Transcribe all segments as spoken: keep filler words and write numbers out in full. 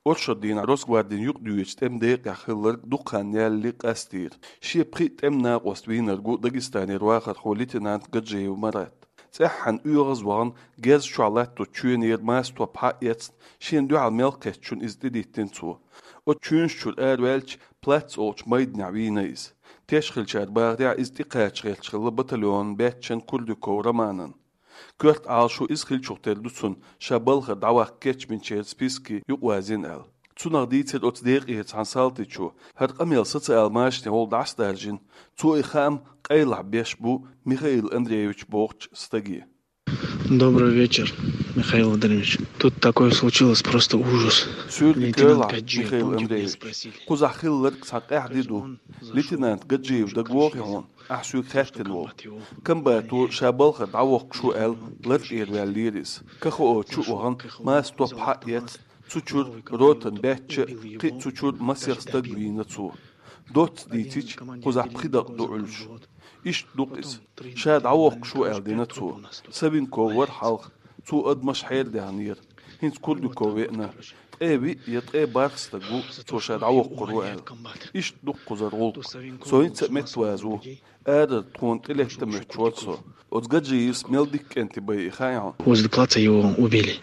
Оршот дийнахь Росгвардин юкъадоьдучу тӀеман декъехь хилларг дукха хан ялале къастийра. Шен пхиъ тӀеман накъост вийнарг ву Дагестанера вахархо лейтенант Гаджиев Марат. ЦӀеххьана оьгӀаз вахана, герз чохь латточу чоьнера маса топ схьа а эцна, шена дуьхьал мел кхеттачунна иза тӀедиттина цо. Оцу чоьнаш чуьра араваьлча, Плац олучу майданехь вийна иза. Теш хиллачара бахарехь, иза тӀекхача гӀерташ хилла батальонан баьччан Курдюков Романан. Коьрта Ӏалашо иза хиллачух тера ду цунна, ша балхара дӀаваккха кечбинчеран списке юкъавазийна аьлла. Цунах дийцира оцу декъера цхьана салтичо, хӀара къамел социал машанехула дӀасадаржийна, цо и хаам къайлахь беш бу Михаил Андреевич бохучу стаге. Добрый вечер, Михаил Владимирович. Тут такое случилось, просто ужас. Суьйре дика йойла, Михаил Андреевич. Кхузахь хилларг цхьа къаьхьа де ду. Лейтенант Гаджиев дагавогӀий хьуна, ахь соьга хаьттина волу? Комбато ша балхара дӀавоккхуш ву аьлла, лар тӀера ваьллера иза. КХО чу а вахана, маса топ схьа а эцна, цу чуьра ротан баьчча а, кхин а цу чуьра масех стаг вийна цо. Доцца дийцича, кхузахь пхи дакъа ду Ӏуьллуш. Иштта ду-кх иза. Ша дӀавоккхуш ву аьлла дина цо. Савинков вара хьалха. Цо адамаш хьерадаьхнера. ХӀинца Курдюков веана. Ткъе виъ я ткъе бархӀ стаг ву, цо ша дӀавоккхур ву аьлла. Иштта ду-кх кхузара гӀуллакх. Со хӀинца а меттаваза ву. Арара тхуна тӀелетта моьттуш вара со. Оцу Гаджиевс мел дика кӀентий байи хаьий хьуна? Возле плаца его убили.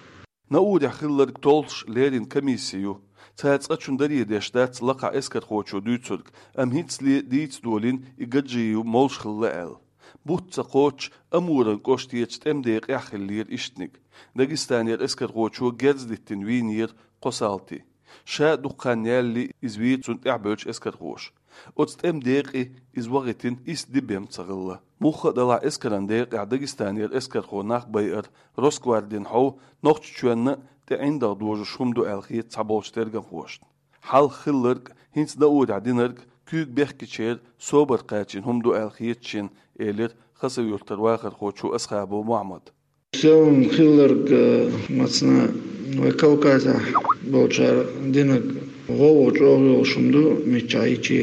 Наурехь хилларг толлуш леррина комисси ю. Цара цкъачунна даре деш дац лакхахь эскархочо дуьйцург, амма хӀинцале дийца долийна и Гаджиев молуш хилла аьлла. Бутт ца кхоччуш, Амуран кӀоштерчу тӀеман декъехь хиллера ишттаниг. Дагестанера эскархочо герз диттина вийнера кхо салти. Ша дукха хан ялале иза вийра цунна тӀаьхьабевллачу эскархоша. Оцу тӀеман декъе иза вахийтина исс де бен ца хилла. Мухха а делахь, эскаран декъехь Дагестанера эскархо нах байар Росгвардин хьов Нохчийчоьнна а тӀе ӀиндагӀ дожуш хӀума ду аьлла хета цхьаболчу тергамхошна. Хьалха хилларг, хӀинца Наурехь динарг куьйга бехкечеран собар кхачийна хӀума ду аьлла хета шена, элира Хасавюртара вахархочо Асхабов Мухьаммада. Севан хилларг, э, мацна вай Кавказехь болчара динарг гӀовгӀа чӀогӀа йолуш хӀума ду, миччахьа йичи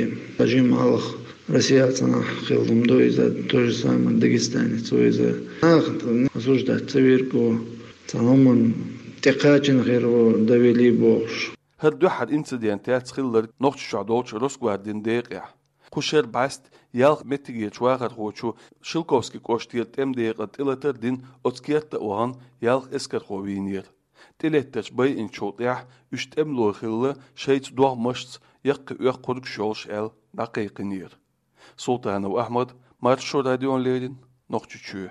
жима хьалха Россия цхьанхьа хилла хӀума ду иза, то же самое Дагестанец ву иза. Наха осуждать ца вирг ву, цхьа хӀуманна тӀекхачийна хир ву, довели бохуш. ХӀара дуьххьара инцидент яц хилларг Нохчийчохь долчу Росгвардин декъехь. Кху шеран бӀаьста ялх меттигерчу вахархочо Шелковски кӀоштера тӀеман декъан тӀелатар а дина, оцу керта а вахана, ялх эскархо вийнера. ТӀелеттарш байинчул тӀаьхьа уьш тӀемало хилла, шайца догӀмашца яккхий-оьккхургаш йолуш аьлла, дӀакхайкхийнера. Султанов Ахьмад, Маршо радиона леррина, Нохчийчоь.